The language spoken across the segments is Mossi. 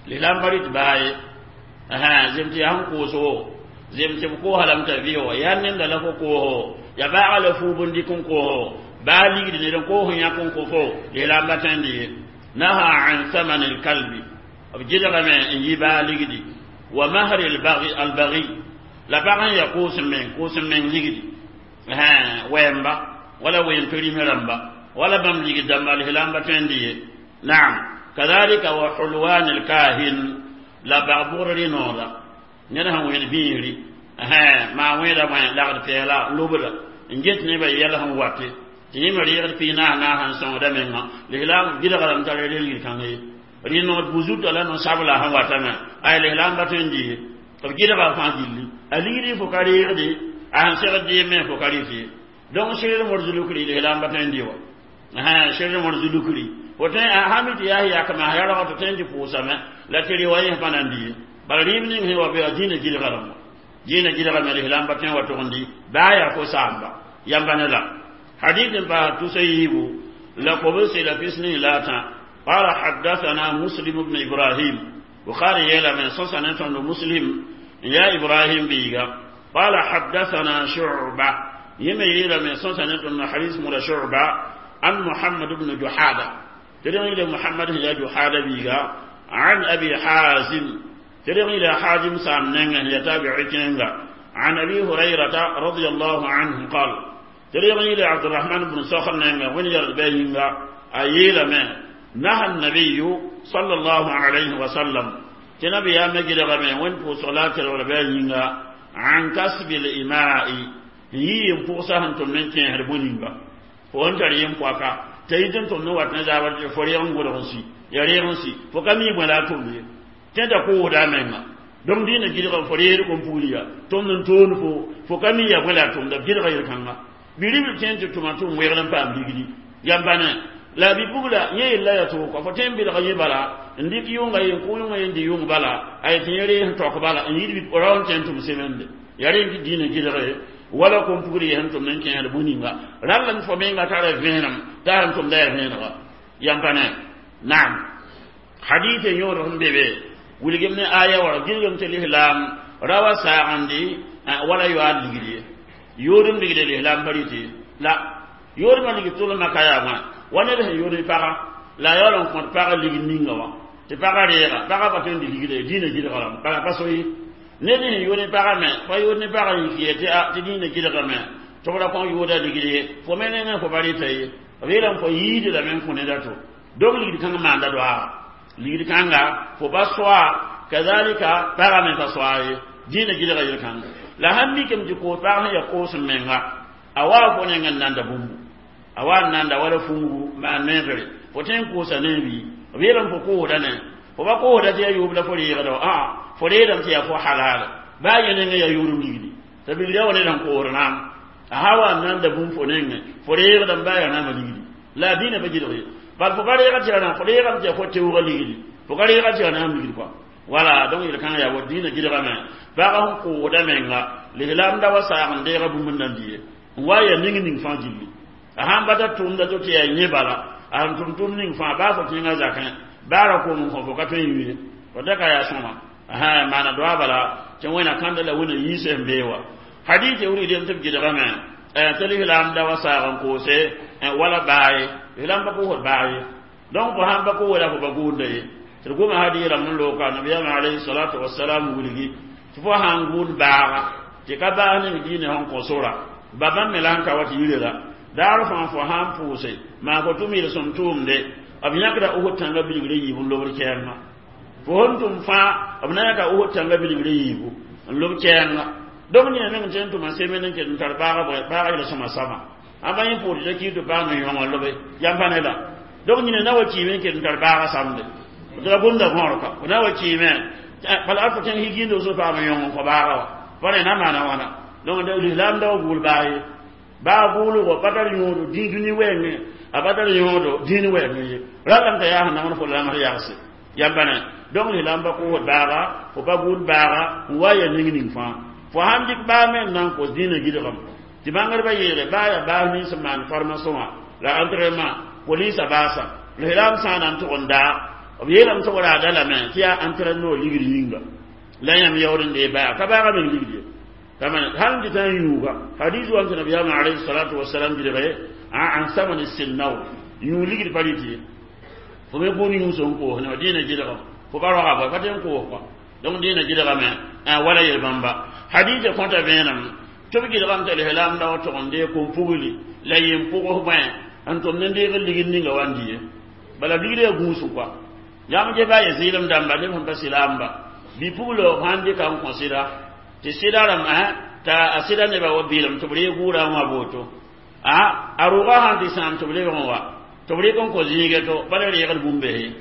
Lislaam pa rɩt baa ye zem tɩ yaa sẽn koos wo zem tɩ b koosa lame t'a vɩ wa yaa nenda la fo kooso ya baaga la fuub n dɩk n kooso baa ligdi ned n koos n yãk n kõ fo lislaam ba tõend ye naha an thaman alkalbi b gɩdgame n yi baa ligdi wa mahri albagi la pag n ya koos meng koos meng ligdi wɛɛmba wala ween perime rãmba wala bãmb ligd dãmba lislaam ba tõend ye naam kadhalika wa hulwan alkahin la bag bʋgr rɩ-nooda ned sẽn wẽed bĩigri maa wẽeda bõe lagd pɛɛla lobda n get nebã yɛl sẽn wate tɩ yẽ me reegd pii naas naas n sõngda menga lislaam gɩdgrame tara rel kãng ye rɩ-nood buzutã la no-sabla sẽn watame ay lislaam ba tõe n dɩ ye b gɩdga fãa gilli a ligdi fo ka reegde a sẽn segd dɩɩm me fo ka rɩt ye donc sɩr mor zulukri lislaam ba tõe n dɩ wa sɩr mor zulukri fo tõe a mi tɩ yaa yakma a yarg tɩ tõe n tɩ pʋʋsame la tɩ rɩ wa yẽ pa na n dɩ ye bala rɩɩb ning sẽn wa be a dĩinã gɩdga rãmba dĩinã gɩdgame lislaam ba tõe n wa tʋg n dɩ baa yaa fo saamba yamba ne la حديث تسيب لقبس إلى فسنه لا قال حدثنا مسلم بن إبراهيم بخاري يلا من سنة مسلم يا إبراهيم بيغا قال حدثنا شعبة يما يلا من سنة حديث مر شعبة عن محمد بن جحادة ترى إلى محمد يا جحادة بيغا عن أبي حازم ترى إلى حازم سام يتابع عن أبي هريرة رضي الله عنه قال تريغني إلى عبد الرحمن بن صخر نينغا وين يرد بينغا أيلا ما نهى النبي صلى الله عليه وسلم تنبي يا مجد غمي وين بو صلاة الربينغا عن كسب الإماء يي ينفوسا هنتم من كين هربونينغا فوان تري ينفوكا تيدن تم نوات نزاور فريان غورنسي يريغنسي فكمي ولا تمي تندا كو دا menga donc dina gidga foriyer ko puliya tom nan ton fo fo kami ya wala tom da gidga yel kanga biribil tẽn tɩ tʋma tʋm wegl n paam ligdi yãmba ne la bi-pugla yẽ yella yaa tʋʋka fo tõe n belg yẽ bala n dɩk yʋnga yen kʋ yʋnga yen dɩ yʋng bala a tɩ yẽ rees n tɔk bala n yid rao n tõe n tʋm semende yaa rẽ tɩ dĩinã gɩdge wala kom pugr yɛ sẽn tʋmd n kẽesd bũ-ninga rall n fo menga tara vẽenem t'a sẽn tʋmda yaa vẽenega yãmba ne naam hadith yõod sẽn be be wilgem ne aya wã gilgem tɩ lislaam ra wa saagndi wala yoaad ligd ye yoodum ligde lislaam pa rɩtɩ la yoodmã ligd tʋlmã ka yaa wã wa ned sẽn yood paga la a yaool n kõt pagã ligd ninga wã tɩ pagã reega pagã pa tõe n dɩ ligde dĩinã gɩdga rãmb bala pa so ye ned sẽn yood ne pagã me pa yood ne pagã yik ye tɩ a tɩ dĩinã gɩdgame tɩ b ra kõ yooda ligd ye fo me nengẽ fo pa rɩta ye b yeelame fo yiide lame n kõ ned a to donc ligd kãng maanda doaaga ligd kãnga fo pa soa kazalika pagã me pa soa ye dĩinã gɩdga yel-kãnga la sãn mikame tɩ koos pag sẽn ya koos n menga a waa fo neng n nanda bũmbu a waa n nanda wala fungu maan neegre fo tõe n koosa ne bii b yeelame fo koosda ne fo pa koosda tɩ yaa yoob la fo reegda wa ã fo reedame tɩ yaa fo halala baa yẽ nengẽ yaa yoodum ligdi t'a bilga wa ned sẽn koosd naam a sã wa n nanda bũmb fo nengẽ fo reegdame baa yaa naama ligdi la a dĩinã pa gɩdg ye bal fo pa reega tɩ yaa fo reegame tɩ yaa fo teoogã ligdi fo ka reega tɩ yaa naam ligdi kɔa wala donc yel-kãngã yaa wa dĩinã gɩdgame pag sẽn koosda menga lislaam da wa saag n deega bũmb n nan dɩ ye n wa yaa ning ning fãa gilli a sãn bata tʋʋmda to tɩ yaa yẽ bala a sẽn tʋm tʋʋm ning fãa baa fo tẽngã zakẽ baa ra kom n kõ fo ka tõe n yʋ ye fo da ka yaa sõma maana doa bala tɩ wẽna kãnda la wẽna yiis sẽn bee wa hadith wilgdem tɩ b gɩdgame tɩ lislaam da wa saag n koose wala baa ye lislaam pa koosd baa ye donc fo sãn pa koosda fo pa gʋʋnda ye tɩ d goma hadiis rãmb n looka nabiyaamã alayhi salatu wasalam wilgi tɩ fo sãn gʋʋd baaga tɩ ka baas ning diinã sẽn kõ sora ba bãmb me la n ka wa tɩ yire la daar fãa fo sãn pʋʋse maa fo tʋm yel-sõm tʋʋmde b yãkda Uhud tãngã bilgre yiib n lobd kɛɛngã fo sẽn tʋm fãa b na yãka Uhud tãngã bilgre yiibu n lob kɛɛngã donc nina meng tɩ n tʋma semen n ket n tar baaga baaga yel-sõma sama ãmba yẽ pʋʋd t'a kiis tɩ paam n yõngã lobe yãmb pa ne la donc nina na wa kiime n ket n tar baaga samde tɩ la gomda võor ka fo na wa kiime bala a fo tẽng higindo so paam n yõng n kõ baaga wa pa ne na maana wãna donc lislaam da wa gʋʋl baa ye baa gʋʋlgo pa tar yõodo dĩ dũni wɛɛngẽ a pa tar yõodo dĩin wɛɛngẽ ye ralame t'a yaa sẽn nangd fo lamsd yagse yãmba ne donc lislaam pa koosd baaga fo pa gʋʋd baaga n wa ya ning ning fãa fo sãn dɩk baa me n na n kos dĩinã gɩdgame tɩ bãngdbã yeele baa yaa baas nins n maan formation wã la entraînement polisa baasa lislaam sã n na n tʋg n daa B yeelame tɩ wraada lame tɩ yaa entraîneur ligd yĩnga la yãmb yaood n dee baa ka baaga meng ligd ye hal n dɩta n yũuga hadis wa tɩ nabiyaamã alayhi salatu wasalam gilge an samani sinnaw yũu ligd pa rɩt ye fo me gũud yũus n koos ne dĩinã gɩlga fo pa roga bõe pa tɩ n koos kɔa donc dĩinã gɩlgame wala yel-bãmba hadisã kõta vẽenem tɩ b gɩlgame t'a lislaam da wa tog n dee kom-pugli la yem pʋgs bõe n tʋm ne deeg ligd ninga wa n dɩ ye bala ligd yaa gũusg kɔa yãmb ge baa ya zɩɩlem dãmba neb sẽn pa sɩlaamba bi-puglo sãn dɩka n kõ sɩda tɩ sɩda rãmb t'a a sɩda nebã wa bɩɩlem tɩ b reeg gʋʋrã n wã boto a rʋga sãn tɩ sãam tɩ b lebg n wa tɩ b rɩk n kõ zĩige to bala reegd bũmb-beese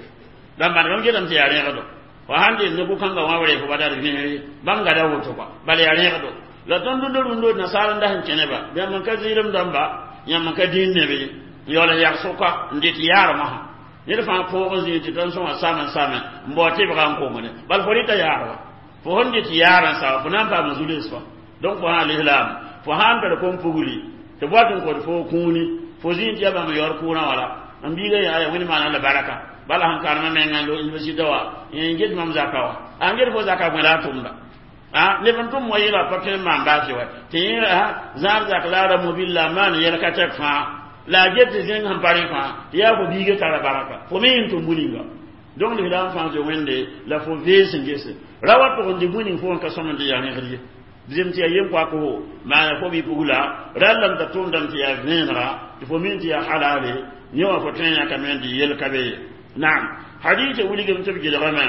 dãmba bãmb getame tɩ yaa rẽegdo fo sãn dɩ ne gu-kãngã wã b ree fo badad vẽere bãmb gada woto kɔa bala yaa rẽegdo la tõnd rũndã rũndã nasaar n das n kẽneba yãmb n ka zɩɩlem dãmba yãmb n ka dĩin neb ye n yaool n yag sʋka n dɩt yaarmã ned fãa põog n zĩig tɩ tõnd sõma same n same n bao tɩbga n kongde bal fo rɩta yaar wa fo sẽn dɩt yaar n sao fo na n paam zules fa donc fo sã lislaam fo sã n tar kom-pugli tɩ boat n kod fo kũuni fo zĩig tɩ ya bãmb yaood kʋʋrã wala n biiga yaa wẽnd maana la baraka bala sẽn karema menga lo université wa n get mam zaka wa a n get fo zaka bõe la a tʋmda neb n tʋm wa yɩla pa tõe n maan baase wa tɩ yẽ zãab zak la a ra mobil la a maan yɛl ka tɛk fãa la a get tɩ zẽng sẽn pa rẽ fãa tɩ yaa fo biiga tara baraka fo me yẽn tʋm bu-ninga donc lislaam fãa zoe wẽnde la fo vees n gese ra wa tʋg n dɩ bu-ning fo n ka sõm n dɩ yaa rẽgd ye zem tɩ yaa yem-koak-fo maana fo bi-pugla rallame t'a tʋʋmdame tɩ yaa vẽenega tɩ fo min tɩ yaa halale yẽ wã fo tõe n yãkame n dɩ yel ka be ye naam hadisã wilgame tɩ b gɩlgame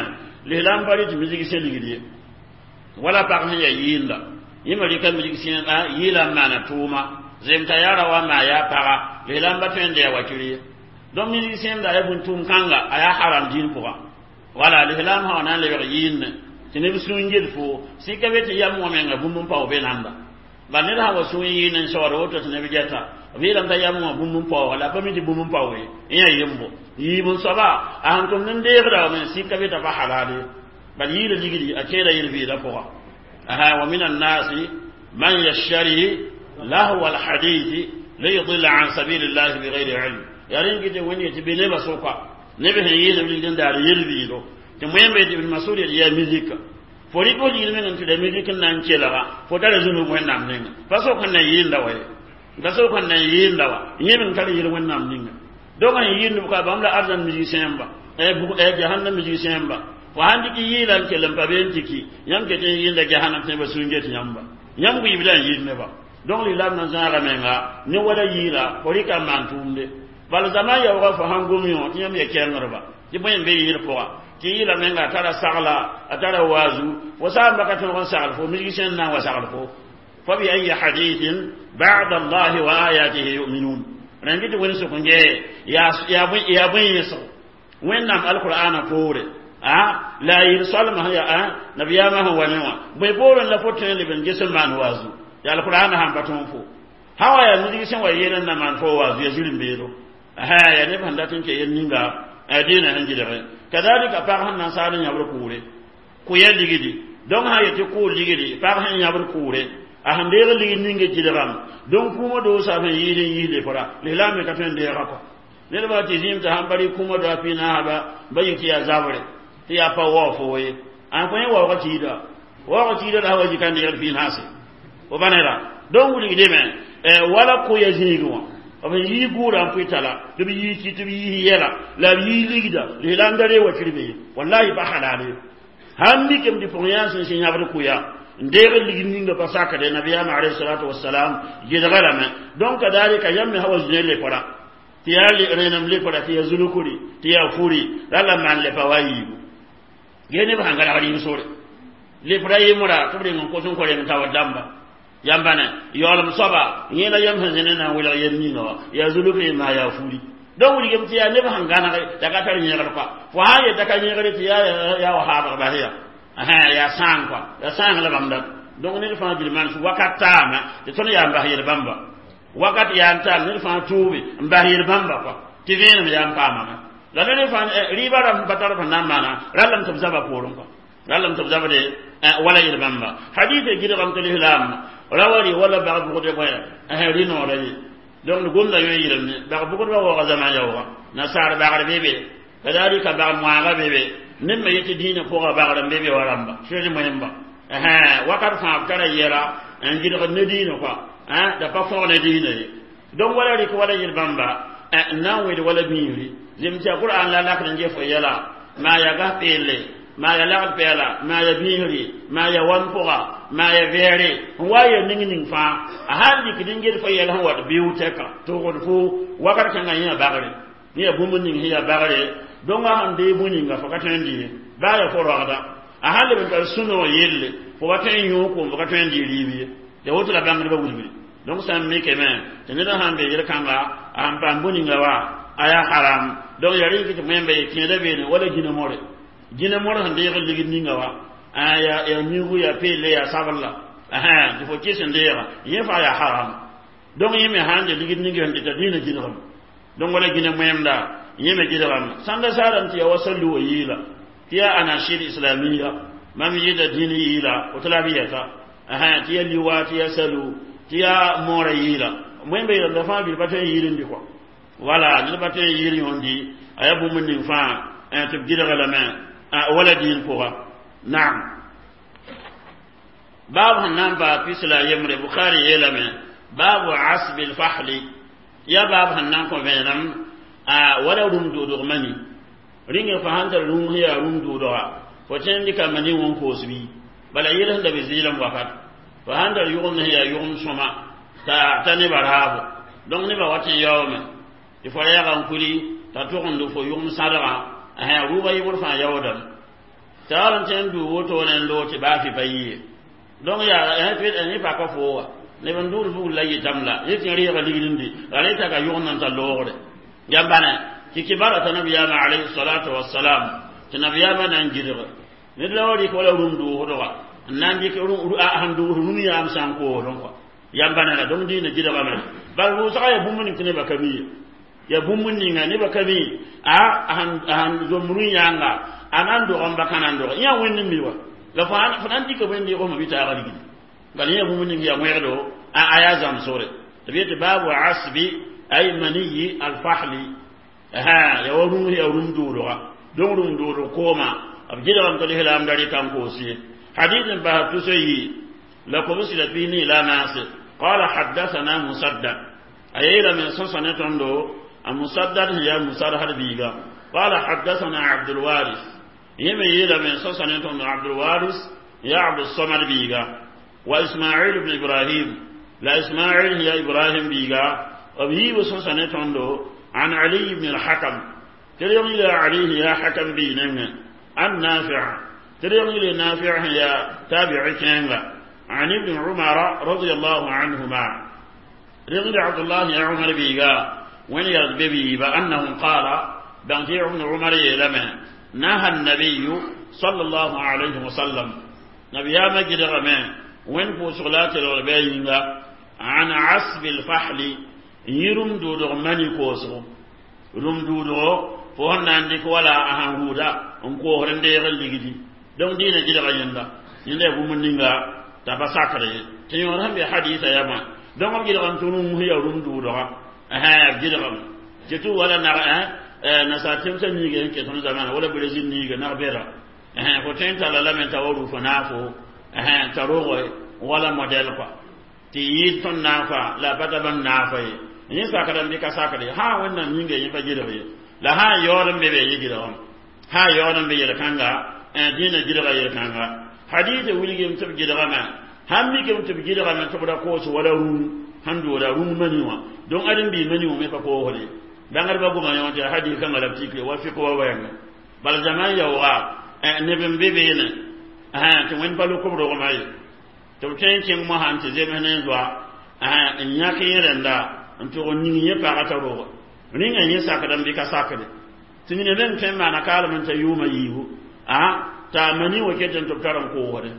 lislaam pa rɩ tɩ misg sẽ ligd ye wala pag sẽn yaa yɩɩnda yẽ me rɩka misg sẽeda yɩɩla n maana tʋʋma zem t'a yaa ra wa maa yaa paga lislaam pa tõe n dɩ yaa wakir ye donc misg sẽmda yaa bũn-tʋʋm kãnga a yaa haram dĩin pʋga wala lislaam sã wa na n lebg yɩɩnne tɩ neb sũur ged fo sɩka be tɩ yam wã menga bũmb n pao be nanda bal ned sã wa sũur yɩɩn n saood woto tɩ neb gɛta b yeelame t'a yam wã bũmb n paooga la pa mi tɩ bũmb n pao ye n yaa yembo yiib n soaba a sẽn tʋmd n deegda wame sɩka be t'a pa halal ye bal yɩɩla ligdi a keeda yel-vɩɩdã pʋga wa min annaasi man yashtari lahwa alhadithi liyudilla an sabilillahi bigayri ilm yaa rẽn gɩ tɩ wẽnd ye tɩ be nebã sʋka neb sẽn yɩɩsb ligd n daar yel-vɩɩdo tɩ moẽmbe tɩ ibn masud yel yaa mizika fo rɩk fo ligd meng n tɩ la mizik n na n kelga fo tara zũnug wẽnnaam ninga pa sok n na yɩɩnda wa ye pa sok n na yɩɩnda wa yẽ meng tar yel wẽnnaam ninga donc sẽn yɩɩnd ka bãmb la arzãn misik sẽemba jahannam misik sẽemba fo sãn dɩk yɩɩla n kell n pa be n tɩ ki yãmb ket n yɩɩnda jahannam tɩ neba sũur get yãmba yãmb wiibda n yɩɩd neba donc lislaam na zãaga menga ne wala yɩɩla fo rɩka n maan tʋʋmde bal zama yaooga fo sãn gom yõ tɩ yãmb ya kɛrengrba tɩ bõe n be yɩɩd pʋga tɩ yɩɩla menga a tara sagla a tara waazu fo saamba ka tõog n sagl fo misg sẽn na n wa sagl fo fa bi ayi hadithin ba'da allahi wa ayatihi yu'minun rẽn tɩ wẽnd sʋk n gee yaa bõe yẽsg wẽnnaam alqur'ana poore la a yɩl soalmã yaa nabiyaamã sẽn wa ne wã bõe poorẽ la fo tõe n leb n ges n maan waazu ya alqur'ana sãn pa tõog fo sã wa yaa misg sẽn wa yeel n na maan fo waazu ya zirẽ-beedo yaa neb sẽn dat n ke yel ninga dĩinã sẽn gɩlge kadalika pag sẽn na n saal n yãbr kʋʋre kʋ-ya ligdi donc sã yetɩ kʋʋr ligdi pag sẽn yãbr kʋʋre a sẽn deeg ligd ninga gɩlgame donc kũumã doosa sẽn yɩɩd n yiis lepra lislaam me ka tõe n deega kɔ ned ba tɩ zĩim tɩ sãn pa rɩ kũumã doa pii-naasba ba yik tɩ yaa zabre tɩ yaa pa wao fo ye ã kõ yẽ waooga kiida waooga kiida la wa zika n deegd pii-naase fo pa neda donc wilgdme wala kʋ-ya zĩigẽ wã b yii gʋʋra n pʋɩ tala tɩ b yii ki tɩ b yiis yɛla la b yii ligda lislaam da ree wakir be ye wallahi pa halal ye sãn mikame tɩ pʋgẽ yaa sẽn sẽn yãbd kʋya n deeg ligd ninga pa sakde nabiyaamã alayhi salatu wasalam gɩlga lame donc kadalika yãmb me sã wa zĩna lepra tɩ yaa rẽenem lepra tɩ yaa zulkuri tɩ yaa furi la la maan lepa wa yiibu gee neb sãn galgd yĩng sore lepra yemra tɩ b reng n kos n kõ reng taoor dãmba yãmba ne yaoolem soaba yẽ la yãmb sẽn zẽne na n welg yel ninga wã yaa zulkri maa yaa furi donc wilgame tɩ yaa neb sẽn gãnege t'a ka tar yẽgr kɔa fo sã n yeta ka yẽgre tɩ yaa wa haabg bas ya yaa sãang kɔa yaa sãang la bãmb dat donc ned fãa gil maan wakat taame tɩ tõnd yaa n bas yel bãmba wakat yaa n taam ned fãa tuube n bas yel bãmba kɔa tɩ vẽenem yaa n paamame la ned fãa rɩɩbã rãmb pa tar sẽn na n maana rallame tɩ b zaba poorẽ kɔa rallame tɩ b zabde wala yel bãmba hadisa gɩlgame tɩ lislaam rawari wala bag bʋgde bõe rɩ noora ye donc gomda yõ yɩlem ne bag bʋgdbã waooga zãma yaooga nasaar bagr be be Kadalika bag moaaga be be ned me yetɩ dĩinã pʋga bagr n be be wa rãmba sẽd moẽmba wakat fãa b tara yɛla n gɩdgd ne dĩinã kɔa da pa fõg ne dĩinã ye. Donc wala rɩk wala yel bãmba n na n wẽd wala bĩigri zem tɩ a qur'an la lakd n ge fo yɛla maa ya gas peelle, maa ya lagd pɛɛla, maa ya bĩisri, maa ya wan pʋga, maa ya vɛɛre n wa ya ning ning fãa a sãn dɩkd n ged fo yɛl sẽn wat biʋ tɛka tʋgd fo wakat kãngã yẽ bagre yẽ ya bũmb ning sẽn ya bagre. Donc a sãn dee bũ-ninga fo ka tõe n dɩ ye baa ya fo rogda a sãn leb n tar sũ-noog yelle fo wa tõe n yõog koom fo ka tõe n dɩ rɩɩb ye ya woto la bãngdbã wilgre. Donc sã n mikame tɩ ned sãn be yel-kãnga a sãn paam bũ-ninga wa a yaa haram. Donc ya rɩk tɩ wẽmba ye kẽeda beene wala gĩna more gĩna more sẽn deeg ligd ninga wa ya ya miugu ya peelle ya sabl la tɩ fo kɩs n deega yẽ faa yaa haram. Donc yẽ me sãn de ligd ning sẽn dɩta dĩinã gɩdgame. Donc wala gĩna wẽmda yẽ me gɩdgame sãnda saarame tɩ ya wa sallu wa yɩɩla tɩ yaa anashid islamia mam yɩɩda dĩin yɩɩla woto la b yɛta tɩ ya liwa tɩ ya salu tɩ yaa moorã yɩɩla wẽmba yeelame fãa bil pa tõe n yɩɩl n dɩ kɔa wala ned pa tõe n yɩɩl yõndi a yaa bũmb ning fãa tɩ b gɩdga lame wala dĩin pʋga. Naam, baab sẽn na n paas pis la yembre Bukhari yeelame baabu asbi lfahli ya baab sẽn na n kõ vẽenem wala rũm dʋʋdg mani rĩnga fo sãn tar rũm sẽn yaa rũm dʋʋdga fo tõe n dɩka mani wã n koos bɩ bala yel sẽn da be zɩɩlem wakat fo sãn tar yʋgemd sẽn yaa yʋgem sõma t'a nebã raabo. Donc nebã wat n yaoome tɩ fo yaga n kuli t'a tʋgemd fo yʋgem sãdgã rʋʋbã yɩbr fãa yaoodame t'a wall n tõe n duu wotone n loog tɩ baa fɩ pa yɩ ye. Donc yaa yẽ paka fo wa neb n duud bugl la yɩtame la yẽ tɩ reega ligd n dɩ la rẽ taka yʋgemd n tar loogre yambane tɩ kibara t'a nabiyaamã alayhi salatu wasalam tɩ nabiyaamã na n gɩdg ned la wa rɩk wala rũm dʋʋsdga n na n dɩk sẽn dʋʋs rũm yaam sã n koosdẽ kɔa yambane la. Donc dĩinã gɩdgame bal rʋʋsga yaa bũmb ning tɩ nebã ka mi ye ya bũmb ninga nebã ka mi a sãn zom rũ yãnga a na n dog n ba ka na n dog yã wẽnd n mi wa la fo na n dɩka wẽnd yʋgsmã bɩ taaga ligdi bala yã bũmb ning yaa wẽgdo a yaa zãmsgre tɩ b yetɩ baabu asbi ay maniyi alfahli ya wa rũm ya rũm dʋʋdga. Donc rũm dʋʋdg kooma b gɩdgame tɩ lislaam da rɩka n koos ye. Hadith n basa tuso yi la kobs la pi ne la naase. قال حدثنا مسدد أيلا من سنة تندو المسدد هي مسرهر بيغا. قال حدثنا عبد الوارث يمي يلا من سنة تندو عبد الوارث يا عبد الصمد بيغا وإسماعيل بن إبراهيم لا إسماعيل هي إبراهيم بيغا وبه سنة تندو عن علي بن الحكم تريم إلى علي يا حكم بيننا عن نافع تريم إلى نافع هي تابع كينغا عن ابن عمر رضي الله عنهما رضي عبد الله يا عمر بيغا وين يرد بيبا أنه قال بانتي ابن عمر لما نهى النبي صلى الله عليه وسلم نبي يا مجد غمان وين بوسغلات الغربينغا عن عصب الفحل يرم دودغ ماني كوسو رم دودغ فهن عندك ولا أهان هودا انكو هرندي غلقدي دون دينا جد غيندا يندا بومنينغا t'a pa sakr ye tɩ yõod sẽn be hadisa yamã. Donc b gɩdgame tɩ rũm ya rũm dʋʋdga b gɩdgame tɩ tɩ wala nag nasaar tẽmsã niiga sẽn ket tõnd zamana wala Brésil niiga nag bɛda fo tõe n talla lame t'a wa rʋ fo naafo t'a rogo wala modɛl kɔa tɩ yɩɩd tõnd naafa la a pa ta bãmb naafa ye yẽ sakdame bɩ ka sakd ye sã Wẽnnaam yĩnga yẽ pa gɩdg ye la sã n yaood n be be yẽ gɩdgame sã n yaood n be yel-kãnga dĩinã gɩdga yel-kãnga hadisa wilgame tɩ b gɩdgame sãn mikame tɩ b gɩdgame tɩ b ra koos wala rũm sẽn dooda rũm mani wã. Donc ãdem-biig mani wã me pa koosde bãngdbã goma yõ tɩ hadis kãngã la b tikre wa fɩk wa wɛɛnga bala zaman yaooga neb n be beene tɩ wẽnd pa lʋk b rogmã ye tɩ b tõe n kẽng mosã n tɩ zems ne n zoa n yãk yẽ rẽnda n tʋg n ning yẽ pagã t'a roga rĩngã yẽ sakdame bɩ ka sakde tɩ mina meng tõe n maana kaalem n ta yʋʋmã yiibu t'a mani wa ket n tɩ b tar n koosde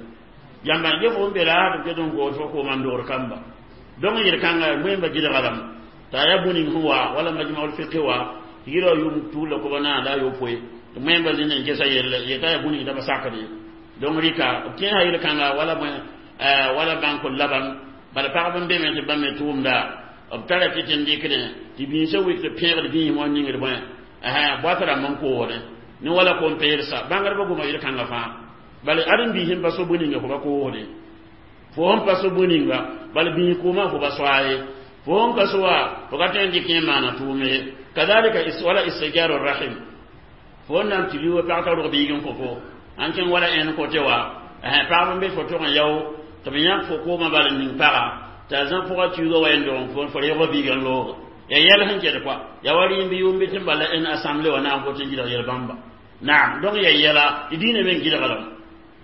yãmba ge fo n be la tɩ b ket n koos fo kooma n dogr kamba. Donc yel-kãnga wẽmba gɩdga lame t'a yaa bũ-ning sẽn wa wala majmaul fiqh wa tɩ yɩla yʋm tuula koba naana la a yopoe tɩ wẽmba zĩnd n gesa yelle yet'a yaa bũ-ning t'a pa sakd ye. Donc rɩka b kẽesa yel-kãnga wala bõe wala bãnk laban bala pagb n be me tɩ bãmb me tʋʋmda b tara tɩ tɩ n dɩkdẽ tɩ bĩisã wik tɩ pẽegd bĩismã n ningd bõe Boat rãmb n koosdẽ ne wala kom-peelsa bãngdbã goma yel-kãngã fãa bala ãdem biis n pa so bõe ninga fo ba koosde fo sẽn pa so bõe ninga bala biis koomã fo ba soa ye fo sẽn ka so wa fo ka tõe n dɩk yẽ maana tʋʋm ye kadalika wala istijaru rahim fo n na n tɩ liuga pag t'a rog biig n kõ fo ãn kẽng wala ẽn kote wa pagb n be fo tʋg n yao tɩ b yãk fo koomã bala ning paga t'a zã pʋga tuuga wa n dog fo fo reeg biig n looge ya yɛl sẽn ket kɔa ya wa rɩɩm bɩ yʋʋm bɩ tɩ bala ẽn assemblée wa na n vot n gɩdg yel-bãmba naam donc ya yɛla tɩ diinã me n gɩdglame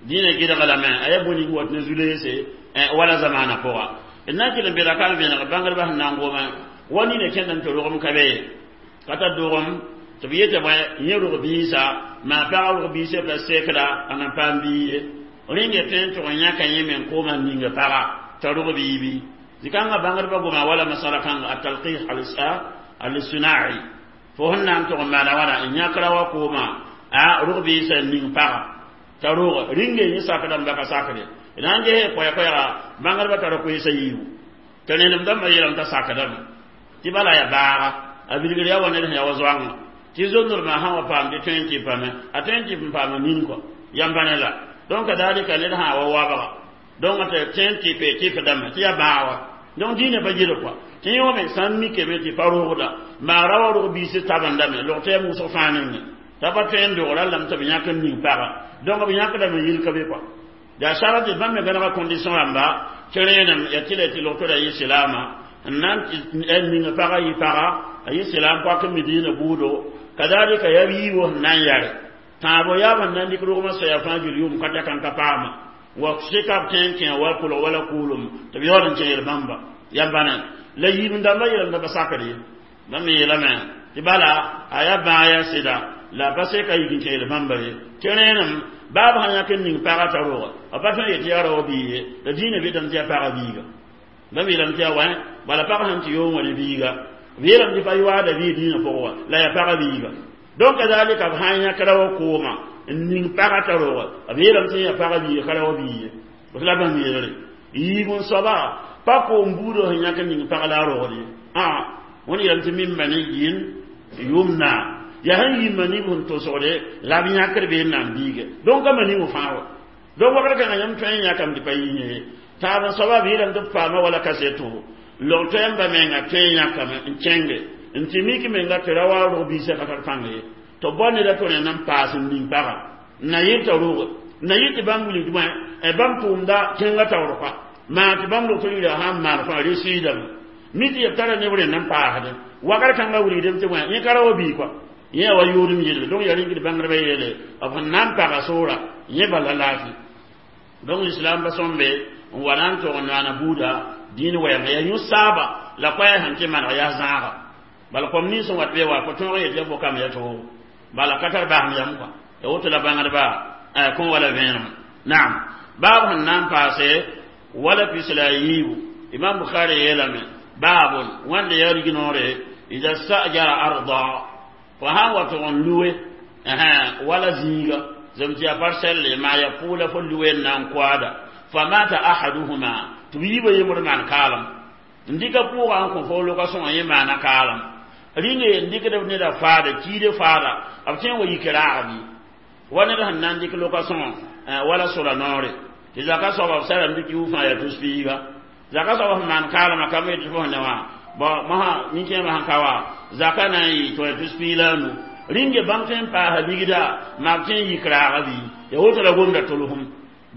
diinã gɩdglame a yaa bõe ning wat ne zu-leese wala zamaana pʋga d na n kell n beda ka n vẽneg bãngdbã sẽn na n goma wa nina kẽndame tɩ rogem ka be ye ka tar dogem tɩ b yetɩ bõe yẽ rog biisa maa pagã rog biisã la sekda a nan paam bii ye rẽnge tõe n tʋg n yãka yẽ me n kooma n ninga paga t'a rog bii bi zikãngã bãngdbã goma wala masala kãnga atalqih alistinai fo sẽn na n tʋg n maana wãna n yãkra wa kooma a rog biisã n ning paga t'a rog rĩnge yẽ sakdame ba ka sakde d na n ges koɛɛ-koɛɛga bãngdbã tara koeesã yiibu tɩ rẽnem dãmbã yeelame t'a sakdame tɩ bala ya baaga a bilgr yaa wa ned sẽn yaa wa zoangã tɩ zondormã sã wa paam tɩ tõe n tɩ pame a tõe n tɩ n paama nin kɔ yãmba ne la donc kadalika ned sã wa wabga donc tɩ tõe n tɩ pe tɩpdame tɩ yaa bãag wa donc dĩinã pa gɩdg kɔa tɩ yẽ wame sã n mikame tɩ pa rogda maa ra wa rog biis tabendame log tɩ yaa wʋsg fãa nengẽ t'a pa tõe n dogra lame tɩ b yãk n ning paga donc b yãkdame yil ka be kɔa yaa sara tɩ bãmb me gãnega condition rãmba tɩ rẽenem yaa tɩ la tɩ log tɩ ra yɩ silaama n na n ning paga yɩ paga a yɩ silaam poak n mi diinã buudo kadalika yaa yiibo sẽn na n yare tãabo yaab sẽn na n dɩk rogmã soaya fãa gil yʋʋm ka daka n ka paama wa sɩka b tõe n kẽ wa kolg wala kʋʋlem tɩ b yaool n kẽ yel-bãmba yãmba ne la yiib dãmbã yeelame pa sakd ye bãmb yeelame tɩ bala a yaa bãag yaa sɩda la a pa seka yik n kẽ yel-bãmba ye tɩ rẽenem baab sã yãk n ning paga t'a roga a pa tõe n yetɩ yaa rao bii ye la dĩinã betame tɩ yaa paga biiga bãmb yeelame tɩ yaa wã bala pag sẽn tɩ yoong wã ne biiga b yeelame tɩ pa yoaada bii dĩinã pʋgẽ wã la yaa paga biiga donc kadalika b sã n yãk ra wa kooma n ning paga t'a roga b yeelame tɩ yaa paga biiga ka rao bii ye b la bãmb yeelre yiib n soaba pa koom buudã sẽn yãk n ning pag la a rogd ye wẽnd yeelame tɩ mimma ne yɩn yʋmna yaa sẽn yĩmma nib sẽn tosgde la b yãkd bee n na n biiga donc a ma ning fãa wa donc wakr kãngã yãmb tõe n yãkame tɩ pa yɩ yẽ taab n soaba b yeelame tɩ b paama wala kaseto log toɛɛmba menga tõe n yãkame n kẽnge n tɩ mik menga tɩ ra wa rog biisã ka tar pãng ye tɩ bao neda tɩ rẽnd n paas n ning paga n na yɩ t'a roge n na yɩ tɩ bãmb wilg bõe bãmb tʋʋmda kẽngã taoor kɔa maa tɩ bãmb log tɩ rɩɩda sã n maan fãa resiidame mi tɩ yeb tara neb rẽnd n paasdẽ wakr kãngã wilgdame tɩ bõe yẽ ka ra wa bii kɔa yẽ wa yʋʋdem yelle donc yaa rĩngd bãngdbã yeele b sẽn na n paga soora yẽ bala laafɩ donc l'islam ba sõmbe n wa na n tog n naana buuda dĩin wɛɛngã yaa yũ-saaba la koɛɛ sẽn tɩ maneg yaa zãaga bala kom nins n wat be wa ko tõog yetɩ ya fo kam ya toogo bala ka tar basem yam kɔa ya woto la bãngdba kõ wala vẽenem naam baab sẽn na n paase wala pis la a yiibu imam bukhari yeelame baabun wãnda yaa rignoore ida sajara arda fo sã n wa tʋg n luwe wala zĩiga zem tɩ yaa parsɛlle maa ya pʋʋla fo luwe n na n koaada famata ahaduhuma tɩ b yiibã yembr maan kaalem n dɩka pʋʋga n kõ fo loka sõngã yẽ maana kaalem rĩnge n dɩkd neda faada kiide faada b tõe n wa yik raag bɩ wa ned sẽn na n dɩk loka sõngã wala sola noore tɩ zaka soaba b sarame tɩ kiu fãa yaa tus piiga zaka soaba sẽn maan kaalema kam yetɩ fo sẽn ne wã bon mosã nin-kẽemã sẽn ka wa zaka na n yɩ tɩ wa tus piig la a nu rĩnge bãmb tõe n paasa ligda maa b tõe n yik raaga bɩ ya woto la gomda tolsem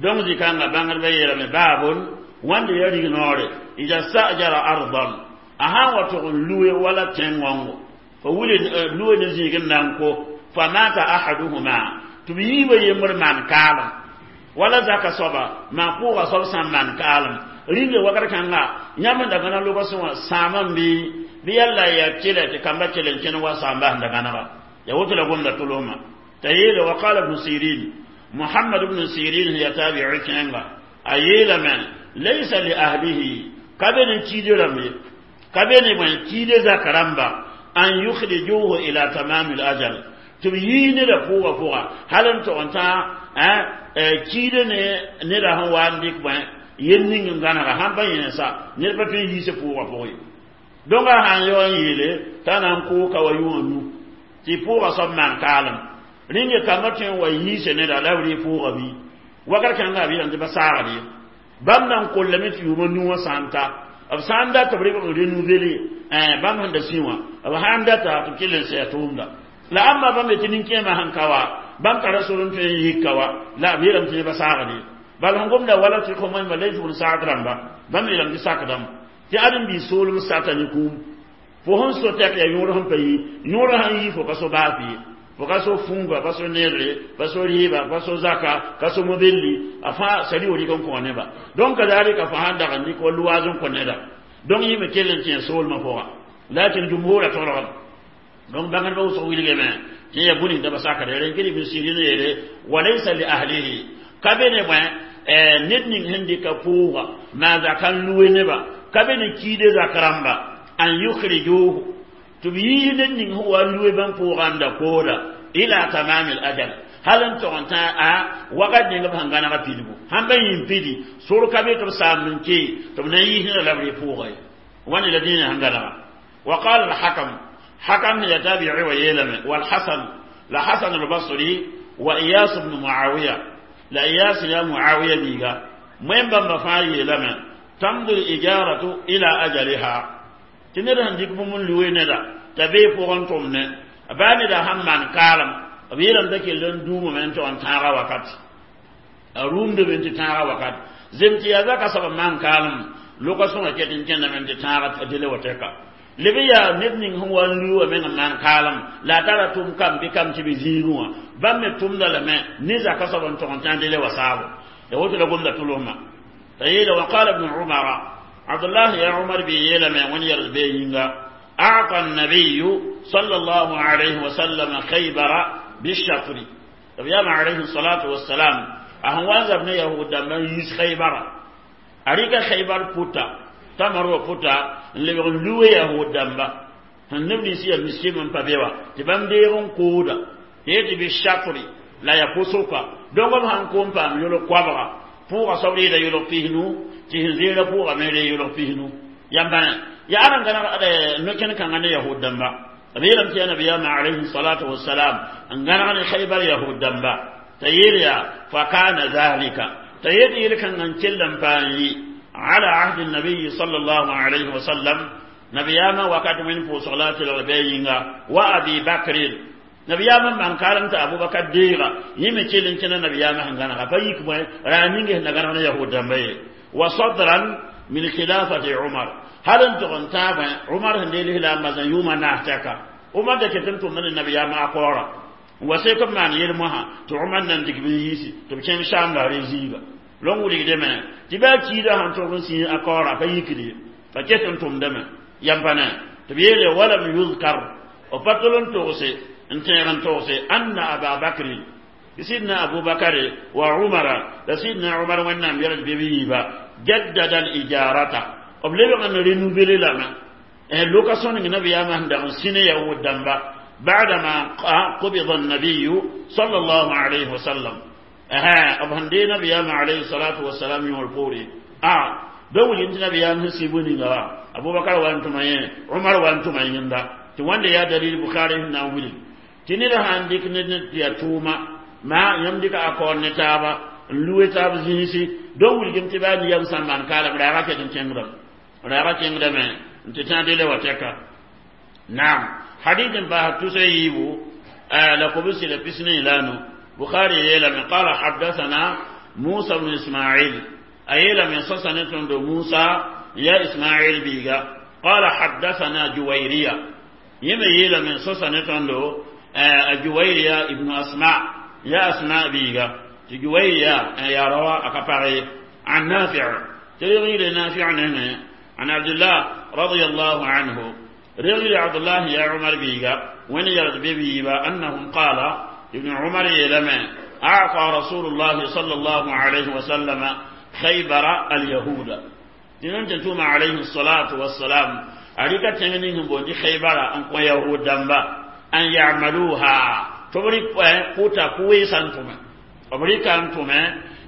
donc zikãngã bãngdbã yeelame baabon wãnda yaa rig noore ida sajara ardan a sã n wa tʋg n luwe wala tẽn-gõngo fa wile luwe ne zĩig n na n ko fa mata ahaduhuma tɩ b yiibã yembr maan kaalem wala zaka soaba maa pʋʋga soab sã n maan kaalem rĩnge wakr kãnga yãmb n da gãneg loga sõngã sãamã n bɩ bɩ yalla yaa kelɛ tɩ kamba kell n kẽn wa sãamba sẽn da gãnega ya woto la gomda tolsmã t'a yeele wa qala ibnu sirin muhammad ibnu sirin ya tabi'i kẽnga a yeelame laysa li ahlihi ka be ne kiide rãmb ye ka be ne bõe kiide zaka rãmba an yukhrijuhu ila tamami l ajal tɩ b yii neda pʋʋga pʋga hal n tog n tã kiide ne neda sẽn wa n dɩk bõe yel ning n gãnega sãn pa yẽnsa ned pa tõe n yiise pʋʋga pʋgẽ donc a sãn yao n yeele t'a na n koo ka wa yʋngã nu tɩ Tɩ pʋʋga soab maan kaalem rĩnge kambã tõe n wa yiise neda la b rɩ pʋʋga bɩ wakat kãngã b yeelame tɩ pa saagd ye bãmb na n kollame tɩ yʋʋma nu wã sã n ta b sã n dat b rɩg n renouveler bãmb sẽn da sĩ wã b sã n data tɩ b kell n sɛɛ tʋʋmda la ãmba bãmb yetɩ nin-kẽemã sẽn ka wa bãmb tara sor n tõe n yika wa la b yeelame tɩ pa saagd ye bal sẽn gomda wala tɩ kõ moẽmba la yɩ tɩ saag rãmba bãmb yeelame tɩ sakdame tɩ ãdem-biis soolem sata ne kũum fo sẽn so tɛk yaa yõor sẽn pa yi yõor sãn yi fo ka so baas ye fo ka so fũuga pa so neerre pa so rɩɩba pa so zaka ka so mobelli a fãa sari wa rɩk n kõ neba donc kazalika fo sãn dag n dɩk wa luwaaz n kõ neda donc yẽ me kell n tẽ soolmã pʋga lakin jumhura tolgame donc bãngdbã wʋsg wilgame tɩ yaa bũni da ba sakda rẽn kɩ ibn sirin yeele walaysa li ahlihi ka be ne bõe ned ning sẽn dɩka pʋʋga maa zaka n lue neba ka be ne kiide zak rãmba an yukhrijuhu tɩ b yiis ned ning sẽn wa lue bãmb pʋʋga n da kooda ila tamam al ajal hal n tog n tã a wakat ning b sẽn gãnega pidgu sãn pa yĩn pidi sor ka be tɩ b saam n kee tɩ b na n yiis neda la b rɩ pʋʋga ye wãne la dĩinã sẽn gãnega وقال الحكم حكم يتابع ويلم والحسن لا حسن البصري وإياس بن معاوية لا إياس يا معاوية بيغا مهم بما فاي لما تمضي الإجارة إلى أجلها تنر هنديك بمن لوي ندا تبي فوغن تومن باني دا هم من كالم بيرم دكي لن دوم من تو ان تاغا وقت روم دو بنت تاغا وقت زمتي يا زكا سبب من كالم لوكاسون كيتين كن من تاغا تدele وتكا leb yaa ned ning sẽn wa n luwa meng n maan kaalem la a tara tʋm kam bɩ kam tɩ b zĩigẽ wã bãmb me tʋmda lame ne zaka soab n tog n tã dele wa saabo ya woto la gomda tʋlsmã t'a yeela wa qala ibn umara abdullah ya umar bi yeelame wẽnd yɛls bee yĩnga أعطى النبي صلى الله عليه وسلم خيبر بالشطر يام عليه الصلاة والسلام أهوان ابن يهود من يس خيبر أريك خيبر بوتا تمر بوتا n lebg n luwe yahood dãmba sẽn neb nins yaa miskim n pa be wa tɩ bãmb deeg n kooda tɩ yetɩ bɩ shakri la ya pʋsʋka donc b sãn kom paam yʋlg koabga pʋʋga soab reeda yʋlg pisnu tɩ sẽn zeera pʋʋga me ree yʋlg pisnu yãmba ya aran gãneg no-kẽn kãngã ne yahood dãmba b yeelame tɩ yaa nabiyaamã alayhi salatu wasalam n gãneg ne khaybar yahood dãmba t'a yeel yaa fa kana zalika t'a yet yel-kãngã n kell n paam yɩ على عهد النبي صلى الله عليه وسلم نبياما وقد من فوصلات الغبينغا وأبي بكر نبياما من كارمت أبو بكر ديغا يمكن لنكنا نبياما هنغانا فيك موي رانينغ هنغانا يهود دمبي وصدرا من خلافة عمر هل انت غنتابا عمر هندي لا مزن يوما ناحتك عمر ده كتنتم من النبياما أقورا وسيكم من يلمها تعمر نندك بيسي تبكين شام لا رزيغا lon wilgdame tɩ baa kiidã sãn tog n sĩig a kaoora pa yikde pa ket n tʋmdame yam pa ne tɩ b yeele walam yuzkar b pa tol n togse n tẽeg n togse anna aba bakrin sidna abubakare wa umara la sidna umar wẽnnaam yɛls bɩ b yiiba jaddada al ijarata b lebg n renouveler lame location ning nabiyaamã sẽn dag n sĩne yahud dãmba بعدما قبض النبي صلى الله عليه وسلم aha b sẽn dee nabiyaamã alayhi salatu wasalam yõor poore a ba wilg tɩ nabiyaam sẽn sɩ bũ-ninga wa abubakar wa n tʋma yẽ umar wa n tʋma yẽnda tɩ wãnde yaa dalil bukhari sẽn na n wilg tɩ ned sãn dɩk ned tɩ yaa tʋʋma maa yãmb dɩka a kaoor ne taaba n lue taab zĩisi donc wilgem tɩ baa niyam sã n maan kaalem raaga ket n kẽngdame raaga kẽngdame n tɩ tã dele wa tɛka naam hadith n paas tusa yiibu la kobsi la pisne la nu بخاري يلا من قال حدثنا موسى بن إسماعيل أيلا من سسنة موسى يا إسماعيل بيغا قال حدثنا جويرية يما يلا من سسنة جويرية ابن أسماء يا أسماء بيغا جويرية يا روا أكبري عن نافع تغير نافع عن عبد الله رضي الله عنه رغي عبد الله يا عمر بيغا وين يرد بيبا أنهم قال ابن عمر يلما أعطى رسول الله صلى الله عليه وسلم خيبر اليهود تنم تنتم عليه الصلاة والسلام أريك تنينهم بودي خيبر أن كو يهود دنبا أن يعملوها تبري قوتا كوي سانتم أمريكا أنتم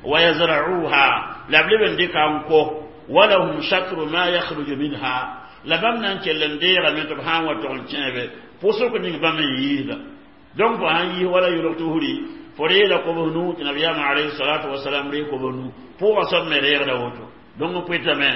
ويزرعوها لابلبن ديك أنكو ولهم شكر ما يخرج منها لبمنا أنك لندير من تبهان وتغن Pʋsg ning bãmb n yiisda. Donc fo sãn yiis wala yʋlg tusri, fo reeda kobs nu tɩ nabiyaamã alayhi salatu wasalam ree kobs nu. Pʋʋgã soab me reegda woto. Donc n pʋɩtame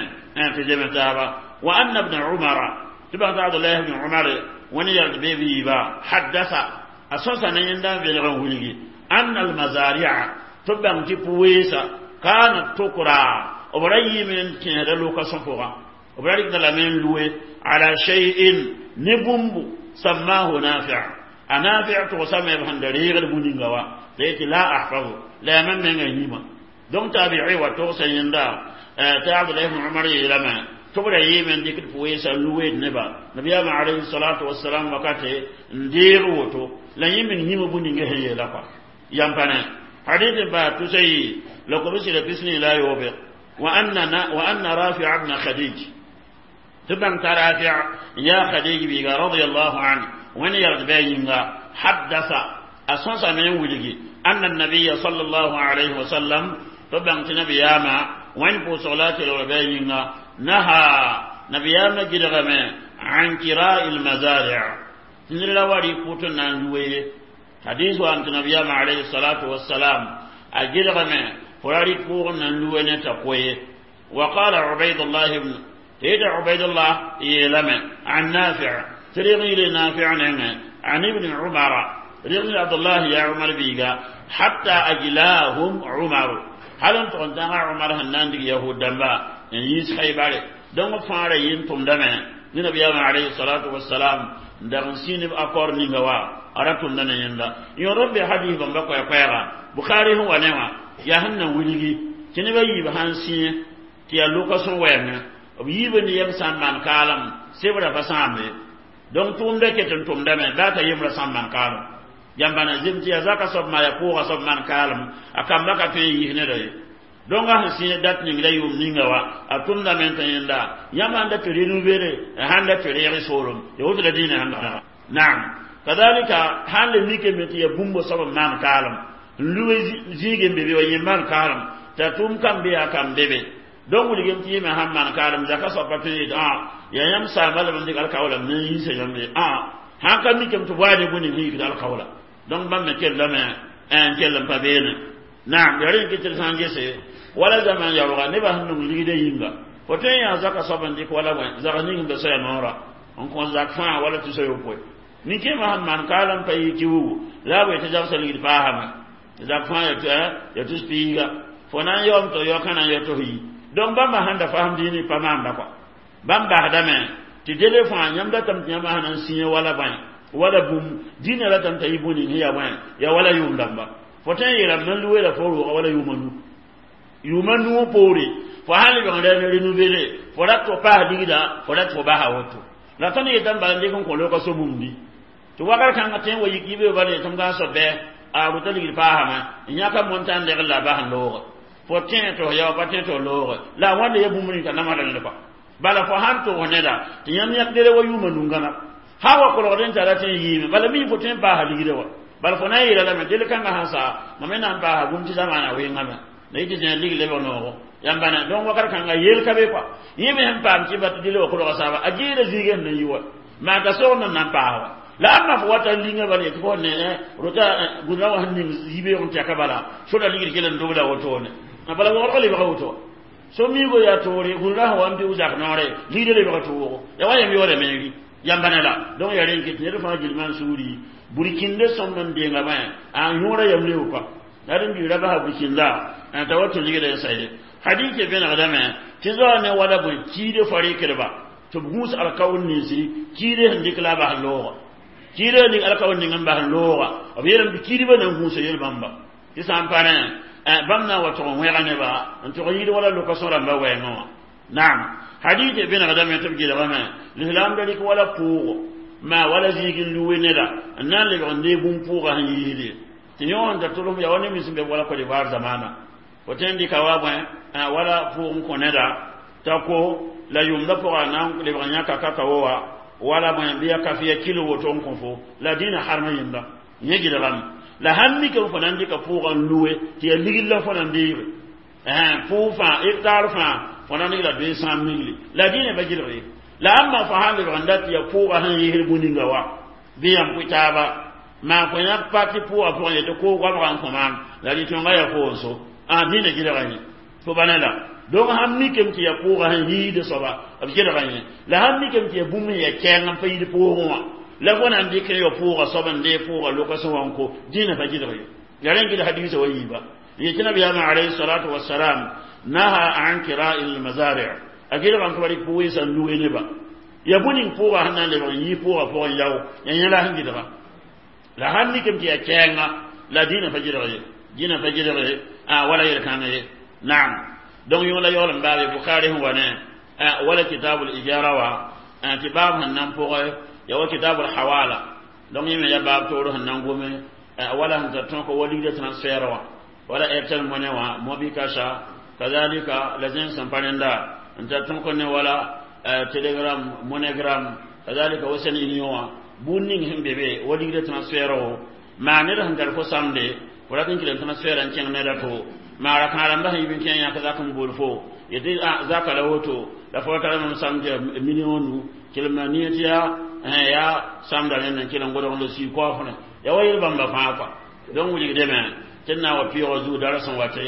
tɩ zeme taaba. Wa anna ibn umara, tɩ bãng tɩ Abdullah ibn Umar wẽnd yald be b yiiba, haddasa, a sõsa ne yẽnda n velg n wilgi, anna almazaria, tɩ b bãng tɩ pʋ-weesa, kanat tukra, b ra yiime n kẽesda lokasõ pʋgã, b ra rɩkda lame n lue ala shay'in ne bũmbu sammahu nafi'. A Nafi' togsame b sẽn da reegd bũ-ninga wa la yetɩ la ahfazu, la yaa mam mengã yĩma. Donc tabi'i wa togsa yẽnda tɩ Abdullah ibn Umar yeelame tɩ b ra yeeme n dɩkd pʋ-weesã n lu-weed neba nabiyaamã alayhi salatu wasalam wakate n deeg woto, la yẽ meng yĩma bũ-ninga sẽn yeela kɔa. Yam pa ne hadith n paas tusa yi la kobsɩ pisni la yoobe. Wa anna Rafi' ibn Khadij, tɩ bãng t'a Rafi' yaa Khadij biiga radiyallahu anhu, wẽnd yalg bɩ a yĩnga, haddasa, a sõsame n wilgi, anna nabiya sallallahu alayhi wa sallam, tɩ bãng tɩ nabiyaamã, wẽnd pʋʋsg la a kelgr bɩ a yĩnga, naha, nabiyaamã gɩdgame, an kira'i lmazari', tɩ ned ra wa rɩ pʋt n na n lue ye. Hadis wa tɩ nabiyaamã alayhi salatu wassalam a gɩdgame fo ra rɩk pʋʋg n na n lue ne t'a koye. Wa qala Ubaydullah ibn tɩ Ubaydullah yeelame an Nafi', tɩ reg yɩle Nafi' nengẽ, an ibn Umara, reg Abdullah ya Umar biiga, hatta ajlahum Umaru, hal n tʋg n tãnga Umar sẽn na n dig yahud dãmba n yiis Xaybare. Donc fãa ra yɩ n tʋmdame ne nabiyaamã alayhi salatu wassalam n dag n sĩinb accord ninga wa a ra tʋmda ne yẽnda. Yõod b be hadis bãmba koɛɛ-koɛɛga Bukhari sẽn wa ne wã, yaa sẽn na wilgi tɩ neb a yiib sãn sĩẽ tɩ yaa loka-sõ wɛɛngẽ, b yiib ne yem sã n maan kaalem sebra pa sãambe. Donc tʋʋmda ket n tʋmdame baa t'a yembrã sã n maan kaalem. Yãmbana zem tɩ yaa zaka soab maa yaa pʋʋga soab maan kaalem, a kamba ka tõe n yis neda ye. Donc a sẽn sĩig dat ning la yʋʋm ninga wa a tʋmdame n tã yẽnda yãmb sãn da tɩ renouveler, sãn da tɩ reeg soolem ya woto la dĩinã sẽn ga. Naam, kadalika sãn le mikame tɩ yaa bũmb soab n maan kaalem n lue zĩig n be be wa yẽ maan kaalem t'a tʋʋm kam be yaa kam be be. Donc wilgem tɩ yẽme sãn maan kaalem zaka soab pa tõe n yetɩ yaa yãmb saamba lame n dɩk alkaoolam ne n yiisa yãmb ye. Sãn ka mikame tɩ waade bũni sẽn yikd alkaoola, donc bãmb me kellame n kell n pa beene. Naam, yaa rẽ n kɩ tɩ d sã n gese wala zaman yaooga nebã sẽn nong ligdã yĩnga, fo tõe n yaa zaka soab n dɩk wala bõe zag ning n be soaya noorã n kõ zak fãa wala tʋsa yopoe. Nin-kẽemã sẽn maan kaalem pa yɩ kiugu la a boe tɩ zagsã ligd paasame zak fãa ya tus piiga, fo na n yaoom tɩ yaookã na n ya tos yi. Donc bãmba sãn da fasem dĩinã pa maanda kɔa, bãmb basdame tɩ dele fãa yãmb datame tɩ yãmb sãn na n sĩyã wala bõe wala bũmb dĩinã ratame t'a yɩ bũni sẽn yaa bõe yaa wala yʋʋm dãmba. Fo tõe n yeelame nan lueela fo rooga wala yʋʋma nu, yʋʋma nuu poore fo sãn lebg n ra ne renouveler, fo rat fo paas ligda, fo rat fo basa woto. La tõnd yetame bala n dɩk n kõ loka so-bũmbi tɩ wakr kãngã tõe n wa yik yibe bala yetɩ m gãn soab bɩ a rota ligd paasame n yãka montã n legl la a bas n looge. Fo tẽ tɩ f yao pa tẽ tɩ f looge la a wãnda ya bũmb ning t'a namsda ned kɔa. Bala fo sãn tʋgs neda tɩ yãmb yãkdere wa yʋʋma nungãna sã wa kolgd n tara tɩ n yiime, bala mi fo tõe n paasa ligda wa. Bala fo na n yeela lame del kãngã sãn saa mam me na n paasa bũmb tɩ zamaana wɩngame la yɩ tɩ zẽ lig lebg noogo yãmbana. Donc wakat kãnga yel ka be kɔa, yẽ me sẽn paam tɩ ba tɩ dele wa kolga saaba a geeda zĩigã sẽn na n yi wa maa t'a sogd n na n paas wa. La ãmba fo wata n linga bala yetɩ fo ne rota gũdrã wa sẽn ning yibeoog n tɛka bala soda ligd kell n dobla wotone, bala wogdg lebga woto so miigo yaa toore gũdrã sẽn wa n pɩʋ zak noore ligda lebga toogo ya wa yam yaoodame n ri yãmbana la. Donc yaa rẽn ket ned fãa gilmã n sugri burkinde sõmb n denga bãe a yõora yam leo kɔa la d n biira basa burkinda t'a wa tũ ligda n sa ye. Hadɩs vẽnegdame tɩ zoa ne wala bõe kiide fo rɩkdba tɩ b gũus alkaoor ninsi kiide sẽn dɩk la a bas looga, kiide ning alkaoor ning n bas looga, b yeelame tɩ kiidbã na n gũusa yel bãmba tɩ sã n pa rẽ bãmb na n wa tʋg n wẽga neba n tʋg n yid wala loka-sõ rãmbã wɛɛngã wã. Naam, hadɩs vẽnegdame tɩ b gɩlgame lislaam da rɩk wala pʋʋgo maa wala zĩig n luwe neda n na n lebg n deeg bũmb pʋʋga sẽn yiisde tɩ yõ n da tʋlsem yaa wa ne mis n be wala Côte d'Ivoire zamaana fo tõe n dɩka wa bõe wala pʋʋg n kõ neda t'a ko la yʋmda pʋga na n lebg n yãka kakawo wa wala bõe bɩ ya kafiya kilo woto n kõ fo la dĩnã harma yẽnda yẽ gɩlgame. La sãn mikame fo na n dɩka pʋʋga n luwe tɩ yaa ligd la fo na n deege pʋʋg fãa hectare fãa fo na n la 200 mille, la dĩnã pa gɩlg ye. La ãmba fo sãn lebg n dat tɩ yaa pʋʋga sẽn yɩsd bũ-ninga wa Bɩ yãmb pʋ taaba maan kõ yãk pa tɩ pʋʋgã pʋgẽ yetɩ koog goabgã n kõ maam la rɩ-tõngã yaa koog so a dĩnã gɩdga yẽ fo ba ne la donc sãn mikame tɩ yaa pʋʋgã sẽn yiid soaba b gɩdga yẽ la sãn mikame tɩ yaa bũmb sẽn yaa kɛɛng n pa yid pʋʋgẽ wã la fo na n dɩk n yao pʋʋgã soab n dee pʋʋgã loka sẽn wa n ko dĩnã pa gɩdg ye la rẽ gɩd hadiisã wa yiiba yetɩ nabiyaamã alayhi salatu wasalam naha an kira'i lmazari' a gɩdgame tɩ wa rɩk pʋʋg sã n luge neba ya bũ ning pʋʋgã sẽn na n lebg n yɩ pʋʋgã pʋgẽ yao ya yẽ la sẽn gɩdga la sãn mikame tɩ yaa kɛɛnga la dĩnã pa gɩdg ye dĩnã pa gɩdg ye a wala yel-kãng ye naam donc yõ la yaool n baabe Bukhari sẽn wa ne wala kitabul ijara wa tɩ baab sẽn nan pʋgẽ ya wa kitabul hawala donc yẽ me ya baab toor sẽn nan gome wala sẽn tar tõk wa ligda transfert wã wala Airtel Money wã MobiCash kazalika la zẽng sẽn pa rẽnda n tar tõk ne wala Telegram, MoneyGram kazalika Western Union wã bũn ning sẽn be be wa ligda transfert wo maa ned sẽn tar fo samde fo rat n kɩl n transfert n kẽng ned a to maara kãadãmbã sẽn yib n kẽ yãk zak n bool fo yetɩ zaka la woto la fo tara mam samd tɩ million nu kelma nie tɩ yaa yaa samda rẽnd n kell n godg n la sii kaoofrẽ ya wa yel bãmba fãa kɔa donc wilgdame tɩ d na n wa pɩʋʋgã zug dar sẽn wate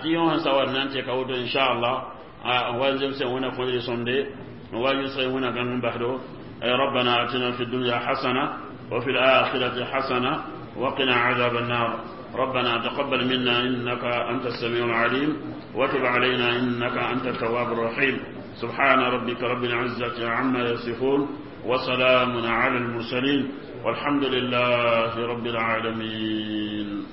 tɩ yõ sẽn sa wat na n tɩka woto inchallah n wa n zemsẽ wẽna kõdre sõmde n wa yʋsg wẽna gãng n basdo. ربنا آتنا في الدنيا حسنة وفي الآخرة حسنة وقنا عذاب النار. ربنا تقبل منا إنك أنت السميع العليم وتب علينا إنك أنت التواب الرحيم. سبحان ربك رب العزة عما يصفون وسلام على المرسلين والحمد لله رب العالمين.